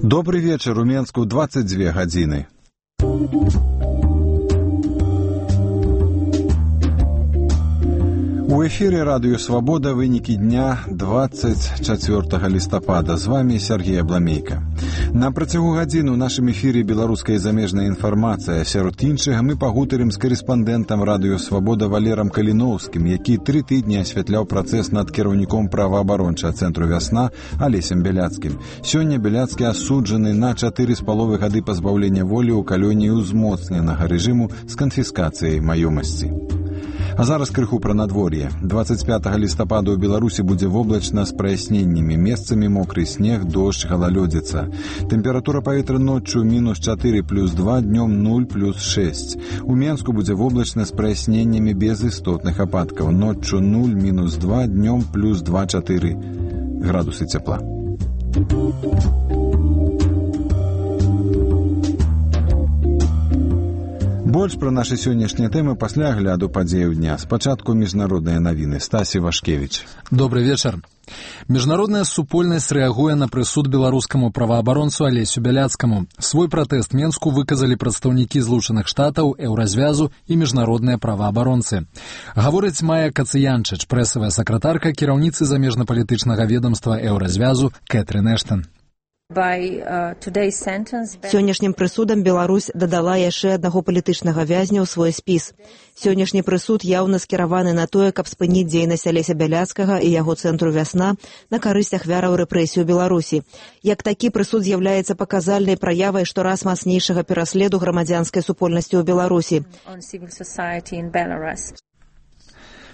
Добрый вечер, у Менску 22 гадзіны. У эфире радио «Свобода» вынікі дня 24 листопада. З вами Сергей Абламейко. На працягу гадзіны ў нашым эфире беларуская і замежная інфармацыя. Сярод іншага мы пагутарым з карэспандэнтам радыё «Свобода» Валерам Каліноўскім, які 3 тыдні асвятляў працэс над кіраўніком праваабарончага цэнтру «Вясна» Алесем Бяляцкім. Сёння Бяляцкі асуджаны на 4,5 гады пазбаўлення волі ў калоніі ўзмоцненага рэжыму з канфіскацыяй маёмасці. А зараз крыху пра надвор'е. 25 лістапада ў Беларусі будзе воблачна з праясненнямі. Месцамі мокры снег, дождж, галалёдзіца. Тэмпература паветра ноччу -4 плюс 2, днём 0 плюс 6. У Менску будзе воблачна з праясненнямі без істотных ападкаў. Ноччу 0 мінус 2, днём плюс 2-4 градусы цяпла. Больш пра нашы сённяшнія тэмы пасля агляду падзеяў дня. Спачатку міжнародныя навіны. Стасі Вашкевіч. Добрый вечар. Міжнародная супольнасць рэагуе на прысуд беларускаму праваабаронцу Алесю Бяляцкаму. Свой пратэст Менску выказалі прадстаўнікі Злучаных Штатаў, Еўразвязу і міжнародныя праваабаронцы. Гаворыць Майя Кацыянчыч, прэсавая сакратарка кіраўніцы замежнапалітычнага ведамства Еўразвязу Кэтрын Эштан. Сённяшнім прысудам Беларусь дадала яшчэ аднаго палітычнага вязня ў свой спіс. Сённяшні прысуд яўна скіраваны на тое, каб спыніць дзейнасць Алеся Бяляцкага і яго цэнтру «Вясна» на карысць ахвяраў рэпрэсій у Беларусі. Як такі прысуд з'яўляецца паказальнай праявай штораз мацнейшага пераследу грамадзянскай супольнасці ў Беларусі.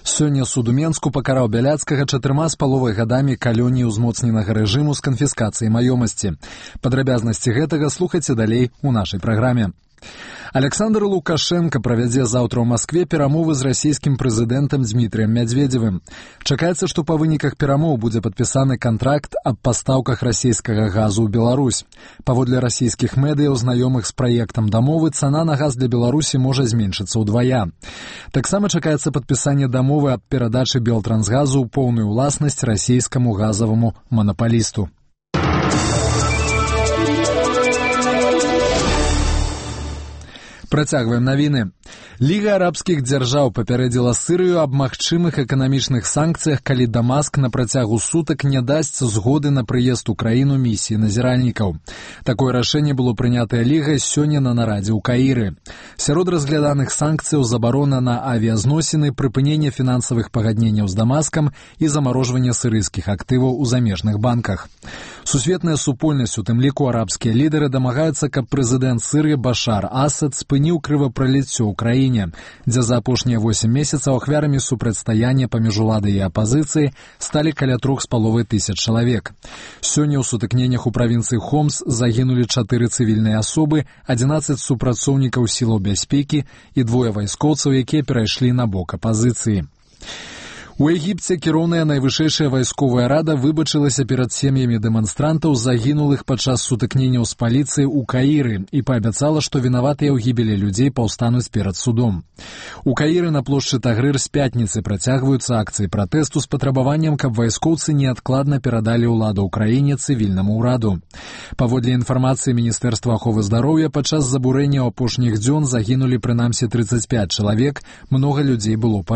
Сёння суд у Менску пакараў Бяляцкага 4,5 гадамі калоніі ўзмоцненага рэжыму з канфіскацыяй маёмасці. Падрабязнасці гэтага слухайце далей у нашай праграме. Александр Лукашенко правядзе заўтра ў Маскве перамовы з расійскім прэзідэнтам Дмітрыем Мядзведзевым. Чакаецца, што па выніках перамоў будзе падпісаны кантракт аб пастаўках расійскага газу ў Беларусь. Паводле расійскіх медыяў, знаёмых з праектам дамовы, цана на газ для Беларусі можа зменшыцца ўдвая. Таксама чакаецца падпісанне дамовы аб перадачы Белтрансгазу ў поўную ўласнасць расійскаму газаваму манапалісту. Працягваем навіны. Ліга арабскіх дзяржаў папярэдзіла Сырыю аб магчымых эканамічных санкцыях, калі Дамаск на працягу сутак не дасць згоды на прыезд у краіну місіі назіральнікаў. Такое рашэнне было прынятае Лігай сёння на нарадзе ў Каіры. Сярод разгляданых санкцыяў забарона на авіязносіны, прыпыненне фінансавых пагадненняў з Дамаскам і замарожванне сырыйскіх актываў у замежных банках. Сусветная супольнасць, у тым ліку арабскія лідары, дамагаюцца, каб прэзідэнт Сырыі Башар Асад спыніў крывапраліццё ў краіне, дзе за апошнія 8 месяцаў ахвярамі супрацьстаяння паміж уладай і апазіцыяй сталі каля 3500 чалавек. Сёння ў сутыкненнях у правінцыі Хомс загінулі 4 цывільныя асобы, 11 супрацоўнікаў сілаў бяспекі і 2 вайскоўцаў, якія перайшлі на бок апазіцыі. У Егіпце кіроўная найвышэйшая вайсковая рада выбачылася перад сем'ямі дэманстрантаў, загінулых падчас сутыкненняў з паліцыяй у Каіры, і паабяцала, што вінаватыя ў гібелі людзей паўстануць перад судом. У Каіры на плошчы Тагрыр з пятніцы працягваюцца акцыі пратэсту з патрабаваннем, каб вайскоўцы неадкладна перадалі ўладу ў краіне цывільнаму ўраду. Паводле інфармацыі Міністэрства аховы здароўя, падчас забурэння апошніх дзён загінулі прынамсі 35 чалавек, многа людзей было паранена.